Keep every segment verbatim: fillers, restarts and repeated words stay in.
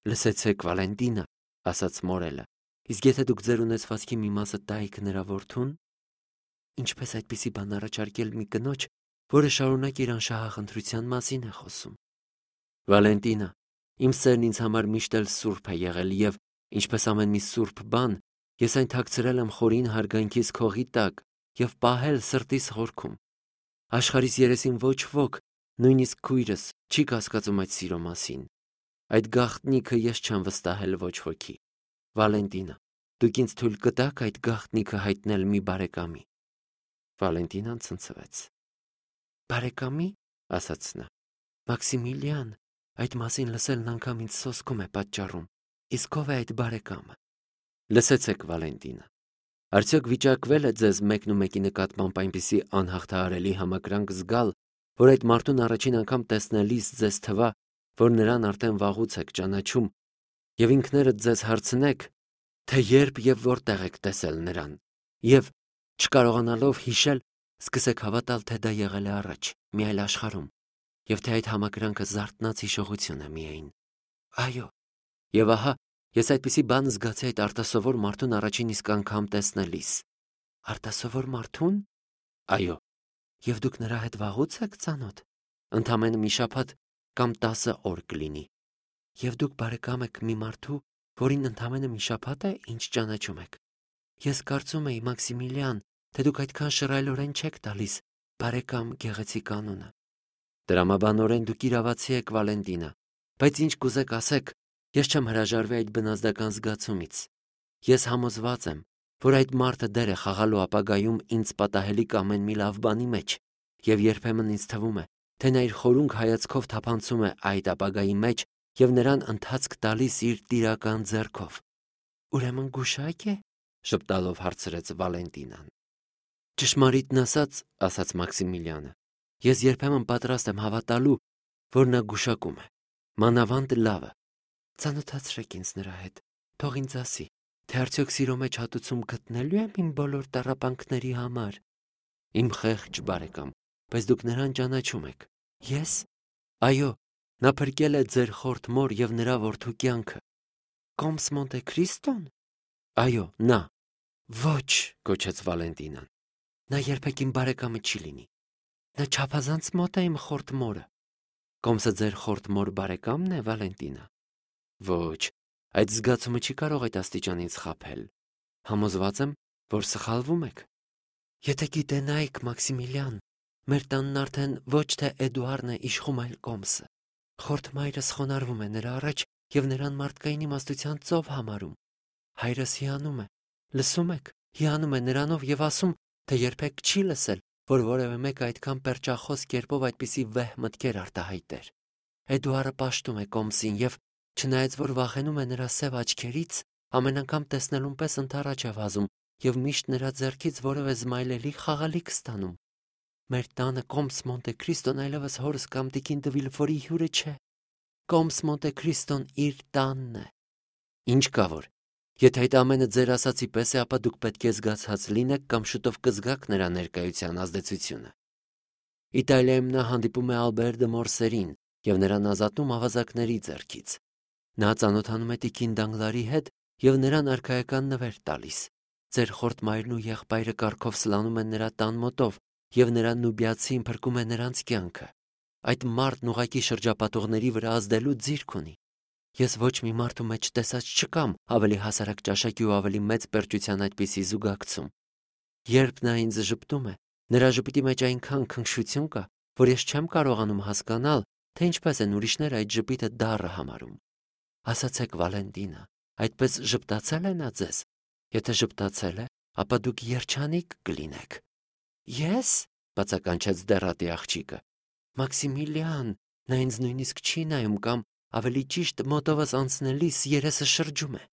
Լսեցեք, Վալենտինա, ասաց Մորելը, իսկ եթե դուք ձեր ունեցվածքի մի մասը տայիք նրա որդուն, ինչպես այդպիսի բան առաջարկել մի կնոջ, որը շարունակ իր անշահախնդրության մասին է խոսում։ Վալենտինա, իմ սերն ինձ համար միշտ էլ սուրբ է եղել եւ, ինչպես ամեն մի սուրբ բան, ես այն թաքցրել եմ խորին հարգանքիս քողի տակ եւ պահել սրտիս խորքում։ Աշխարհիս երեսին ոչ ոք, նույնիսկ քույրս, չի կասկածում այդ սիրո մասին։ Այդ գաղտնիքը ես չեմ վստահել ոչ ոքի։ Վալենտինա, դուք ինձ թույլ կտաք այդ գաղտնիքը հայտնել մի բարեկամի։ Վալենտինան ցնցվեց։ Բարեկամի, ասաց նա։ Մաքսիմիլիան, այդ մասին լսելն անգամ ինձ սոսկում է պատճառում։ Իսկ ով է այդ բարեկամը։ Լսեցեք, Վալենտինա, արդյոք վիճակվել է ձեզ մեկն ու մեկի նկատմամբ այնպիսի անհաղթահարելի համակրանք զգալ, որ այդ մարդուն առաջին անգամ տեսնելիս ձեզ թվա, որ նրան արդեն վաղուց եք ճանաչում, եւ ինքներդ ձեզ հարցնեք, թե երբ եւ որտեղ եք տեսել նրան, եւ չկարողանալով հիշել, սկսեք հավատալ, թե դա եղել է առաջ, մի այլ աշխարհում, եւ թե այդ համակրանքը զարթնած հիշողություն է միայն։ Այո, եւ ահա, ես այդպիսի բան զգացի այդ արտասովոր մարդուն առաջին իսկ անգամ տեսնելիս։ Արտասովոր մարդուն։ Այո, եւ դուք նրա հետ վաղուց եք ծանոթ։ Ընդամենը մի շաբաթ կամ տասը օր կլինի։ Եվ դուք բարեկամ եք մի մարդու, որին ընդամենը մի շաբաթ է, ինչ ճանաչում եք։ Ես կարծում էի, Մաքսիմիլիան, թե դուք այդքան շռայլորեն չեք տալիս բարեկամ գեղեցիկ անունը։ Տրամաբանորեն դուք իրավացի եք, Վալենտինա, բայց ինչ կուզեք ասեք, ես չեմ հրաժարվի այդ բնազդական զգացումից։ Ես համոզված եմ, որ այդ մարդը դեր է խաղալու ապագայում ինձ պատահելիք ամեն մի լավ բանի մեջ, եւ երբեմն ինձ թվում է, թե նա իր խորունգ հայացքով թափանցում է այդ ապագայի մեջ եւ նրան ընթացք տալիս իր տիրական ձեռքով։ Ուրեմն գուշակ է, շպտալով հարցրեց Վալենտինան։ Ճշմարիտն ասած, ասաց Մաքսիմիլիանը, ես երբեմն պատրաստ եմ հավատալու, որ նա գուշակում է։ Մանավանդ լավը։ Ծանոթացրեք ինձ նրա հետ, թող ինձ ասի, թե արդյոք սիրո մեջ հատուցում գտնելու եմ իմ բոլոր տառապանքների համար։ Իմ խեղճ բարեկամ, բայց դուք նրան ճանաչում եք։ Ես։ Այո, նա փրկել է ձեր խորթ մոր եւ նրա որդու կյանքը։ Կոմս Մոնտե Քրիստոն։ Այո, նա։ Ոչ, գոչեց Վալենտինան։ Նա երբեք իմ բարեկամը չի լինի։ Նա չափազանց մոտ է իմ խորթ մորը։ Կոմսը ձեր խորթ մոր բարեկամն է, Վալենտինա։ Ոչ, այդ զգացումը չի կարող այդ աստիճանից խաբել։ Համոզված եմ, որ սխալվում եք։ Եթե գիտենայիք, Մաքսիմիլիան, մեր տանն արդեն ոչ թե Էդուարդն է իշխում, այլ Կոմսը։ Խորթ մայրս խոնարհվում է նրա առաջ եւ նրան մարդկային իմաստության ծով համարում։ Հայրս հիանում է, լսում եք, հիանում է նրանով եւ ասում, թե երբեք չի լսել, որ որևէ մեկը այդքան պերճախոս կերպով այդպիսի վեհ մտքեր արտահայտեր։ Էդուարդը պաշտում է Կոմսին եւ, չնայած որ վախենում է նրա սև աչքերից, ամեն անգամ տեսնելուն պես ընթառաջ է վազում եւ միշտ նրա ձեռքից որևէ զմայլելի խաղալիք ստանում։ Մեր տանը Կոմս Մոնտե Քրիստոն այլևս հորս կամ տիկին Դվիլֆորի հյուրը չէ։ Կոմս Մոնտե Քրիստոն իր տանն է։ Ինչ կա որ։ Եթե այդ ամենը ձեր ասացի պես է, ապա դուք պետք է զգացած լինեք կամ շուտով կզգաք նրա ներկայության ազդեցությունը։ Իտալիայում նա հանդիպում է Ալբեր դե Մորսերին եւ նրան ազատում ավազակների ձեռքից։ Նա ծանոթանում է տիկին Դանգլարի հետ եւ նրան արքայական նվեր տալիս։ Ձեր խորթ մայրն ու եղբայրը կառքով սլանում են նրա տան մոտով եւ նրան նուբիացին փրկում է նրանց կյանքը։ Այդ մարդն ուղակի շրջապատողների վրա ազդելու ձիրք ունի։ Ես ոչ մի մարդու մեջ տեսած չկամ ավելի հասարակ ճաշակի ու ավելի մեծ պերճության այդպիսի զուգակցում։ Երբ նա ինձ ժպտում է, նրա ժպիտի մեջ այնքան քնքշություն կա, որ ես չեմ կարողանում հասկանալ, թե ինչպես են ուրիշները այդ ժպիտը դառը համարում։ Ասացեք, Վալենտինա, այդպես ժպտացել է նա ձեզ։ Եթե ժպտացել է, ապա դուք երջանիկ կլինեք։ Ես, բացականչեց դեռատի աղջիկը։ Մաքսիմիլիան, նա ինձ նույնիսկ չի նայում կամ ավելի ճիշտ մոտովս անցնելիս երեսը շրջում է։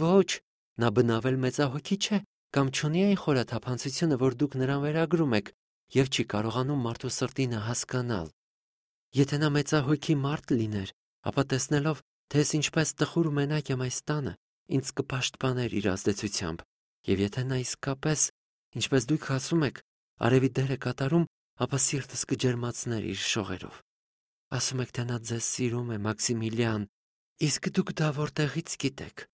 Ոչ, նա բնավել մեծահոգի չէ կամ չունի այն խորաթափանցությունը, որ դուք նրան վերագրում եք եւ չի կարողանում մարդու սրտինը հասկանալ։ Եթե նա մեծահոգի մարդ լիներ, ապա տեսնելով, թե ես ինչպես տխուր ու մենակ եմ այս տանը, ինձ կպաշտպաներ իր ազդեցությամբ, եւ եթե նա իսկապես, ինչպես դուք ասում եք, արևի դեր է կատարում, ապա սիրտս կջերմացներ իր շողերով։ Ասում եք, թե նա ձեզ սիրում է, Մաքսիմիլիան, Իսկ դուք դա որտեղից գիտեք։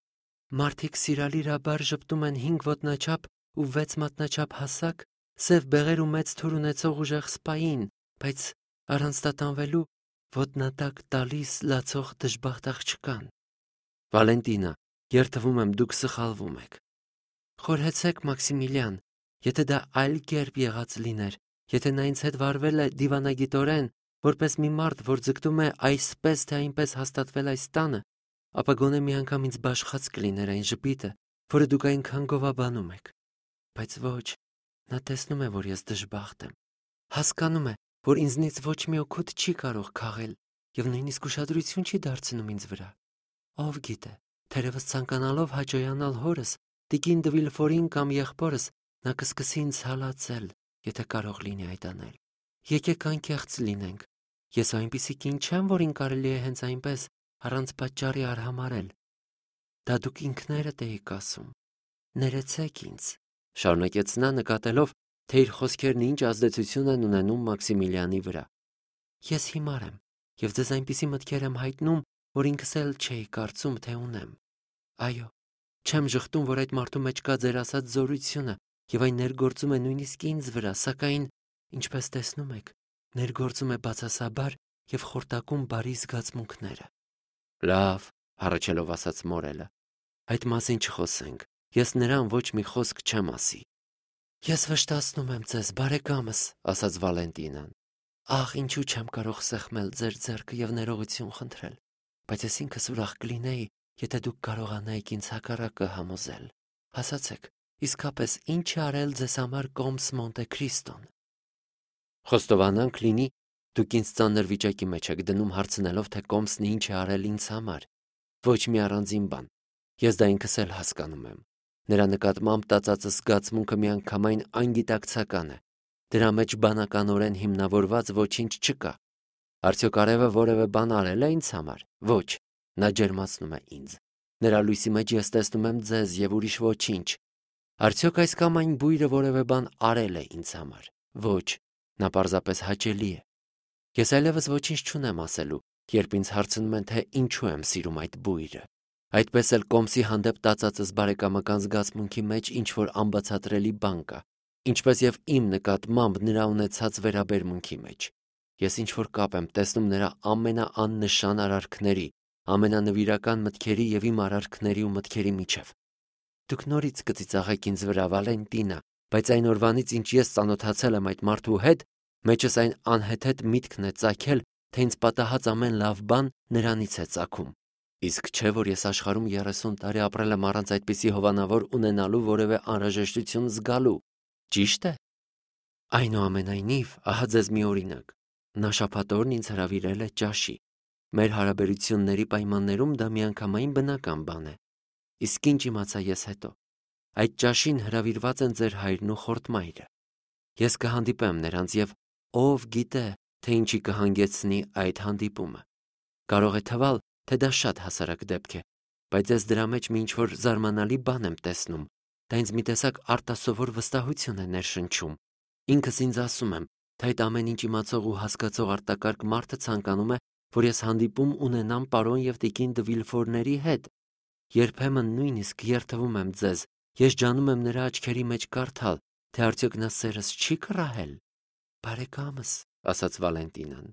Մարդիկ սիրալիրաբար ժպտում են հինգ ոտնաչափ ու վեց մատնաչափ հասակ, սև բեղեր ու մեծ թուր ունեցող ուժեղ սպային, բայց առանց տատանվելու ոտնատակ տալիս լացող դժբախտ աղջկան։ Վալենտինա, երդվում եմ, դուք սխալվում եք։ Խորհեցեք, Մաքսիմիլիան, եթե դա այլ կերպ եղած լիներ, եթե նա ինձ հետ վարվել է դիվանագիտորեն, որպես մի մարդ, որ ձգտում է այսպես թե այնպես հաստատվել այս տանը, ապա գոնե մի անգամ ինձ բաշխած կլիներ այն ժպիտը, որը դուք այնքան գովաբանում եք։ Բայց ոչ, նա տեսնում է, որ ես դժբախտ եմ։ Հասկանում է, որ ինձնից ոչ մի օգուտ չի կարող քաղել եւ նույնիսկ ուշադրություն չի դարձնում ինձ վրա։ Ով գիտե, թերևս ցանկանալով հաճոյանալ հորս, տիկին դե Վիլֆորին կամ եղբորս, նա կսկսի ինձ հալածել, եթե կարող լինի այդ անել։ Եկեք անկեղծ լինենք։ Ես այնպիսի կին չեմ, որին կարելի է հենց այնպես առանց պատճառի արհամարել։ Դա դուք ինքներդ էիք ասում։ Ներեցեք ինձ, շարունակեց նա, նկատելով, թե իր խոսքերն ինչ ազդեցություն են ունենում Մաքսիմիլիանի վրա։ Ես հիմար եմ, եւ ձեզ այնպիսի մտքեր եմ հայտնում, որ ինքս էլ չէի կարծում, թե ունեմ։ Այո, չեմ ժխտում, որ այդ մարդու մեջ կա ձեր ասած զորությունը, եւ այն ներգործում է նույնիսկ ինձ վրա, սակայն, ինչպես տեսնում եք, ներգործում է բացասաբար եւ խորտակում բարի զգացմունքները։ Լավ, հառաչելով ասաց Մորելը, այդ մասին չխոսենք, ես նրան ոչ մի խոսք չեմ ասի։ Ես վշտացնում եմ ձեզ, բարեկամս, ասաց Վալենտինան։ Ահ, ինչու չեմ կարող սեղմել ձեր ձեռքը եւ ներողություն խնդրել, բայց ես ինքս ուրախ կլինեի, եթե դուք կարողանայիք ինձ հակառակը համոզել։ Ասացեք, իսկապես ինչ է արել ձեզ համար Կոմս Մոնտե Քրիստոն։ Խոստովանանք լինի, դուք ինձ ծանր վիճակի մեջ եք դնում հարցնելով, թե Կոմսն ինչ է արել ինձ համար։ Ոչ մի առանձին բան։ Ես դա ինքս էլ հասկանում եմ։ Նրա նկատմամբ տածածս զգացմունքը միանգամայն անգիտակցական է։ Դրա մեջ բանականորեն հիմնավորված ոչինչ չկա։ Արդյոք արևը որևէ բան արել է ինձ համար։ Ոչ, նա ջերմացնում է ինձ։ Նրա լույսի մեջ ես տեսնում եմ ձեզ եւ ուրիշ ոչինչ։ Արդյոք այս կամ այն բույրը որևէ բան արել է ինձ համար։ Ոչ, նա պարզապես հաճելի է։ Ես այլևս ոչինչ չունեմ ասելու, երբ ինձ հարցնում են, թե ինչու եմ սիրում այդ բույրը։ Այդպես էլ Կոմսի հանդեպ տածածս բարեկամական զգացմունքի մեջ ինչ որ անբացատրելի բան կա, ինչպես եւ իմ նկատմամբ նրա ունեցած վերաբերմունքի մեջ։ Ես ինչ որ կապ եմ տեսնում նրա ամենաաննշան արարքների, ամենանվիրական մտքերի եւ իմ արարքների ու մտքերի միջև։ Դուք նորից կծիծաղեք ինձ վրա, Վալենտինա, բայց այն օրվանից, ինչ ես ծանոթացել եմ այդ մարդու հետ, մեջս այն անհեթեթ միտքն է ծագել, թե ինձ պատահած ամեն լավ բան նրանից է ծագում։ Իսկ չէ, որ ես աշխարհում երեսուն տարի ապրել եմ առանց այդպիսի հովանավոր ունենալու որևէ անհրաժեշտություն զգալու։ Ճիշտ է։ Այնուամենայնիվ, ահա ձեզ մի օրինակ։ Նա շաբաթօրն ինձ հրավիրել է ճաշի։ Մեր հարաբերությունների պայմաններում դա միանգամայն բնական բան է։ Իսկ ինչ իմացա ես հետո։ Այդ ճաշին հրավիրված են ձեր հայրն ու խորտմայրը։ Ես կհանդիպեմ նրանց եւ ով գիտե, թե ինչի կհանգեցնի այդ հանդիպումը։ Կարող է թվալ, թե դա շատ հասարակ դեպք է, բայց ես դրա մեջ մի ինչ-որ զարմանալի բան եմ տեսնում։ Դա ինձ մի տեսակ արտասովոր վստահություն է ներշնչում։ Ինքս ինձ ասում եմ, թե այդ ամեն ինչ իմացող ու հասկացող արտակարգ մարդը ցանկանում է, որ ես հանդիպում ունենամ պարոն եւ տիկին դե Վիլֆորների հետ։ Երբեմն նույնիսկ երթվում եմ ձեզ, ես ջանում եմ նրա աչքերի մեջ կարդալ, թե արդյոք նա սերս չի կռահել։ Բարեկամս, ասաց Վալենտինան,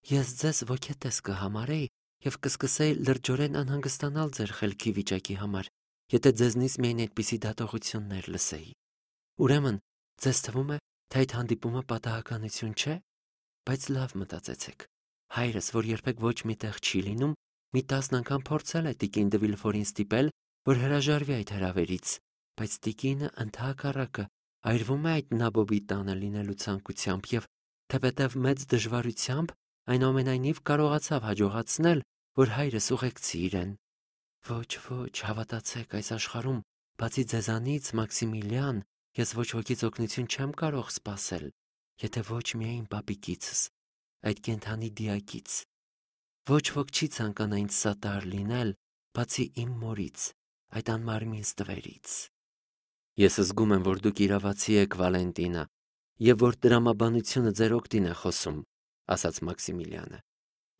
ես ձեզ ոգետես կհամարեի եւ կսկսեի լրջորեն անհանգստանալ ձեր խելքի վիճակի համար, եթե ձեզնից միայն այդպիսի դատողություններ լսեի։ Ուրեմն, ձեզ թվում է, թե այդ հանդիպումը պատահականություն չէ, բայց լավ մտածեցեք։ Հայրս, որ երբեք ոչ մի տեղ չի լինում, մի տասն անգամ փորձել է տիկին դե Վիլֆորին ստիպել, որ հրաժարվի այդ հրավերից, բայց տիկինը ընդհակառակը այրվում է այդ նաբոբի տանը լինելու ցանկությամբ եւ թեպետեւ մեծ դժվարությամբ այնուամենայնիվ կարողացավ հաջողացնել, որ հայրս ուղեկցի իրեն։ Ոչ, ոչ, հավատացեք, այս աշխարհում, բացի ձեզանից, Մաքսիմիլիան, ես ոչ ոքից օգնություն չեմ կարող սպասել, եթե ոչ միայն պապիկիցս, այդ կենդանի դիակից։ Ոչ ոք չի ցանկանա ինձ սատար լինել, բացի իմ մորից, այդ անմարմին ստվերից։ Ես զգում եմ, որ դուք իրավացի եք, Վալենտինա, եւ որ տրամաբանությունը ձեր օգտին է խոսում, ասաց Մաքսիմիլիանը,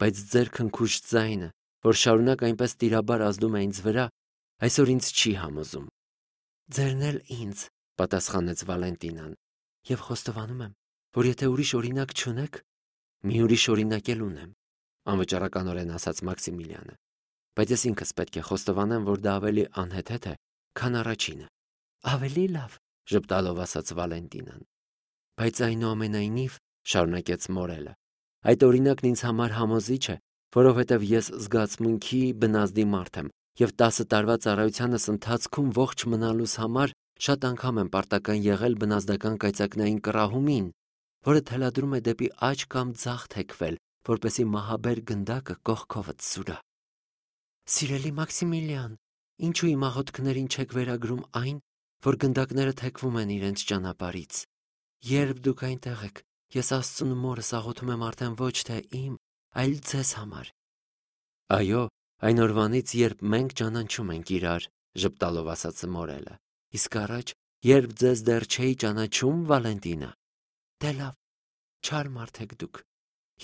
բայց ձեր քնքուշ ձայնը, որ շարունակ այնպես տիրաբար ազդում է ինձ վրա, այսօր ինձ չի համոզում։ Ձերն էլ ինձ, պատասխանեց Վալենտինան, եւ խոստովանում եմ, որ եթե ուրիշ օրինակ չունեք, մի ուրիշ օրինակ էլ ունեմ, անվճարականորեն ասաց Մաքսիմիլիանը, բայց ես ինքս պետք է խոստովանեմ, որ դա ավելի անհեթեթ է, քան առաջինը։ Ավելի լավ, ժպտալով ասաց Վալենտինան։ Բայց այնուամենայնիվ, շարունակեց Մորելը, այդ օրինակն ինձ համար համոզիչ է, որովհետև ես զգացմունքի բնազդի մարդ եմ եւ տասը տարվա ծառայությանս ընթացքում ողջ մնալուս համար շատ անգամ եմ պարտական եղել բնազդական կայծակնային կռահումին, որը թելադրում է դեպի աջ կամ ձախ թեքվել, որպեսի մահաբեր գնդակը կողքովդ սուրա։ Սիրելի Մաքսիմիլիան, ինչու իմ աղոթքներին չեք վերագրում այն, որ գնդակները թեքվում են իրենց ճանապարհից։ Երբ դուք այնտեղ եք, ես Աստծուն մորս աղոթում եմ արդեն ոչ թե իմ, այլ ձեզ համար։ Այո, այն օրվանից, երբ մենք ճանաչում ենք իրար, ժպտալով ասաց Մորելը։ Իսկ առաջ, երբ ձեզ դեռ չէի ճանաչում, Վալենտինա։ Դե լավ, չար մարդ եք դուք։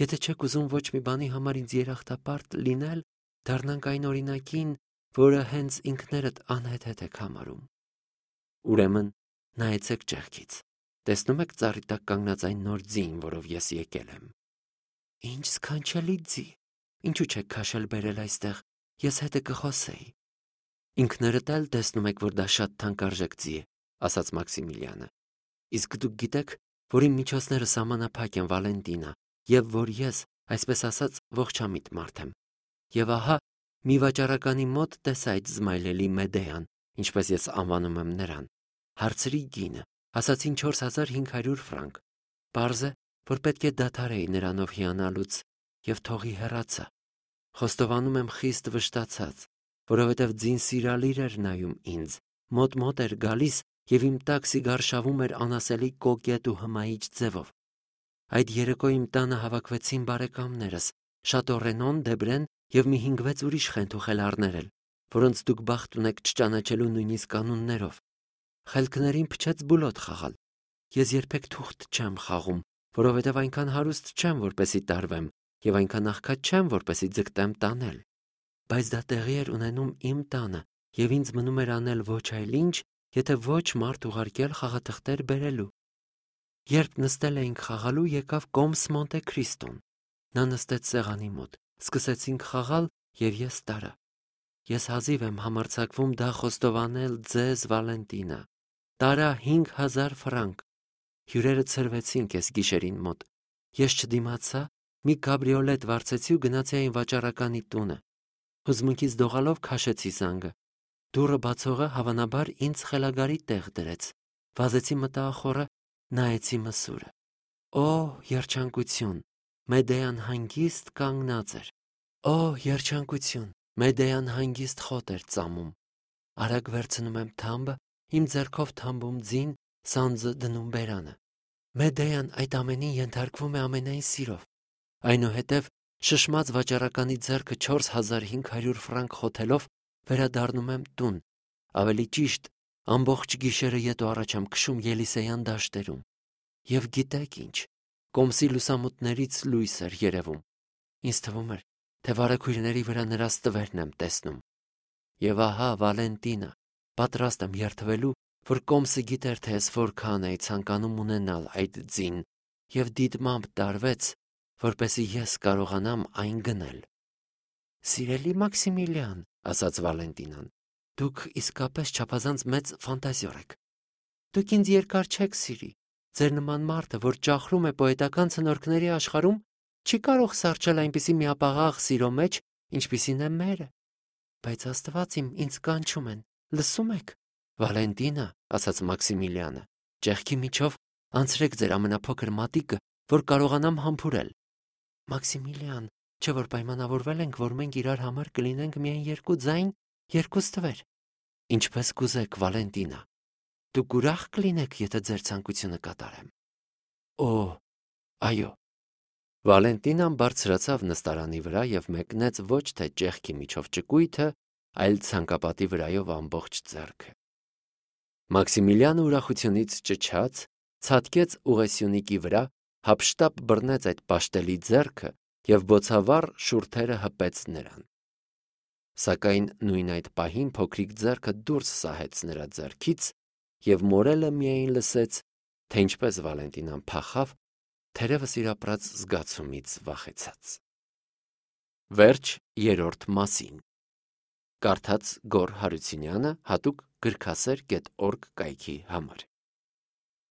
Եթե չեք ուզում ոչ մի բանի համար ինձ երախտապարտ լինել, դառնանք այն օրինակին, որը հենց ինքներդ անհեթեթ եք համարում։ Ուրեմն, նայեցեք ճեղքից։ Տեսնում եք ծառի տակ կանգնած այն նոր ձին, որով ես եկել եմ։ Ինչ սքանչելի ձի։ Ինչու չեք քաշել բերել այստեղ, ես հետը կխոսեի։ Ինքներդ էլ տեսնում եք, որ դա շատ թանկարժեք ձի է, ասաց Մաքսիմիլիանը։ Իսկ դուք գիտեք, որ իմ միջոցները սահմանափակ են, Վալենտինա, եւ որ ես, այսպես ասած, ողջամիտ մարդ եմ։ Եվ ահա, մի վաճառականի մոտ տեսա այդ զմայլելի Մեդեան, ինչպես ես անվանում եմ նրան։ Հարցրի գինը, ասացին չորս հազար հինգ հարյուր ֆրանկ։ Պարզ է, որ պետք է դադարեի նրանով հիանալուց, եւ թողի հեռացա։ Խոստովանում եմ խիստ վշտացած, որովհետև ձին սիրալիր էր նայում ինձ, մոտ-մոտ էր գալիս եւ իմ տակ սիգարշավում էր անասելի կոկետ ու հմայիչ ձևով։ Այդ երեկո իմ տանը հավաքվեցին բարեկամներս, Շատո Դեբրեն եւ մի հինգ-վեց ուրիշ խենթուխելառներ էլ, որոնց դուք բախտ ունեք չճանաչելու նույնիսկ կանուններով։ Խելքներին փչեց բուլոտ խաղալ։ Ես երբեք թուղթ չեմ խաղում, որովհետև այնքան հարուստ չեմ, որպեսի տարվեմ, եւ այնքան աղքատ չեմ, որպեսի ձգտեմ տանել։ Բայց դա տեղի էր ունենում իմ տանը, եւ ինձ մնում էր անել ոչ այլ ինչ, եթե ոչ մարդ ուղարկել խաղաթղթեր բերելու։ Երբ նստել էինք խաղալու, եկավ Կոմս Մոնտե Քրիստոն։ Նա նստեց սեղանի մոտ, սկսեցինք խաղալ, եւ ես տարա։ Ես հազիվ եմ համարձակվում դա խոստովանել ձեզ, Վալենտինա։ Տարա հինգ հազար ֆրանկ։ Հյուրերը ցրվեցին կես գիշերին մոտ։ Ես չդիմացա, մի կաբրիոլետ վարձեցի ու գնացի այն վաճառականի տունը։ Հուզմունքից դողալով քաշեցի զանգը։ Դուռը բացողը հավանաբար ինձ խելագարի տեղ դրեց։ Վազեցի մտախորը, նայեցի մսուրը։ Օ, երջանկություն, Մեդեան հանգիստ կանգնած էր։ Օ, երջանկություն, Մեդեան հանգիստ խոտ էր ծամում։ Արագ վերցնում եմ թամբը, իմ ձեռքով թամբում ձին, սանձը դնում բերանը։ Մեդեան այդ ամենին ենթարկվում է ամենայն սիրով։ Այնուհետև շշմած վաճառականի ձեռքը չորս հազար հինգ հարյուր ֆրանկ խոթելով վերադառնում եմ տուն, ավելի ճիշտ, ամբողջ գիշերը ետ ու առաջ եմ քշում Ելիսեյան դաշտերում։ Եվ գիտեք ինչ, Կոմսի լուսամուտներից լույս էր երևում։ Ինձ թվում էր, թե վարագույրների վրա նրա ստվերն եմ տեսնում։ Եվ ահա, Վալենտինա, պատրաստ եմ երդվելու, որ Կոմսը գիտեր, թե ես որքան էի ցանկանում ունենալ այդ ձին, եւ դիտմամբ տարվեց, որպեսզի ես կարողանամ այն գնել։ Սիրելի Մաքսիմիլիան, ասաց Վալենտինան, դուք իսկապես չափազանց մեծ ֆանտազիոր եք։ Դուք ինձ երկար չեք սիրի։ Ձեր նման մարդը, որ ճախրում է պոետական ցնորքների աշխարհում, չի կարող սառչել այնպիսի միապաղաղ սիրո մեջ, ինչպիսին է մերը։ Բայց Աստված իմ ինձ կանչում են, լսում եք։ Վալենտինա, ասաց Մաքսիմիլիանը, ճեղքի միջով անցրեք ձեր ամենափոքր մատիկը, որ կարողանամ համբուրել։ Մաքսիմիլիան, չէ՞ որ պայմանավորվել ենք, որ մենք իրար համար կլինենք միայն երկու ձայն, երկու ստվեր։ Ինչպես կուզեք, Վալենտինա։ Դուք ուրախ կլինեք, եթե ձեր ցանկությունը կատարեմ։ Օ, այո։ Վալենտինան բարձրացավ նստարանի վրա եւ մեկնեց ոչ թե ճեղքի միջով ճկույթը, այլ ցանկապատի վրայով ամբողջ ձեռքը։ Մաքսիմիլիանը ուրախությունից ճչաց, ցատկեց ուղեսյունիկի վրա, հափշտապ բռնեց այդ պաշտելի ձեռքը եւ բոցավառ շուրթերը հպեց նրան։ Սակայն նույն այդ պահին փոքրիկ ձեռքը դուրս սահեց նրա ձեռքից, և Մորելը միայն լսեց, թե ինչպես Վալենտինան փախավ, թերևս իր ապրած զգացումից վախեցած։ Վերջ երրորդ մասին։ Կարդաց Գոռ Հարությունյանը հատուկ գրքասեր կետ օրգ կայքի համար։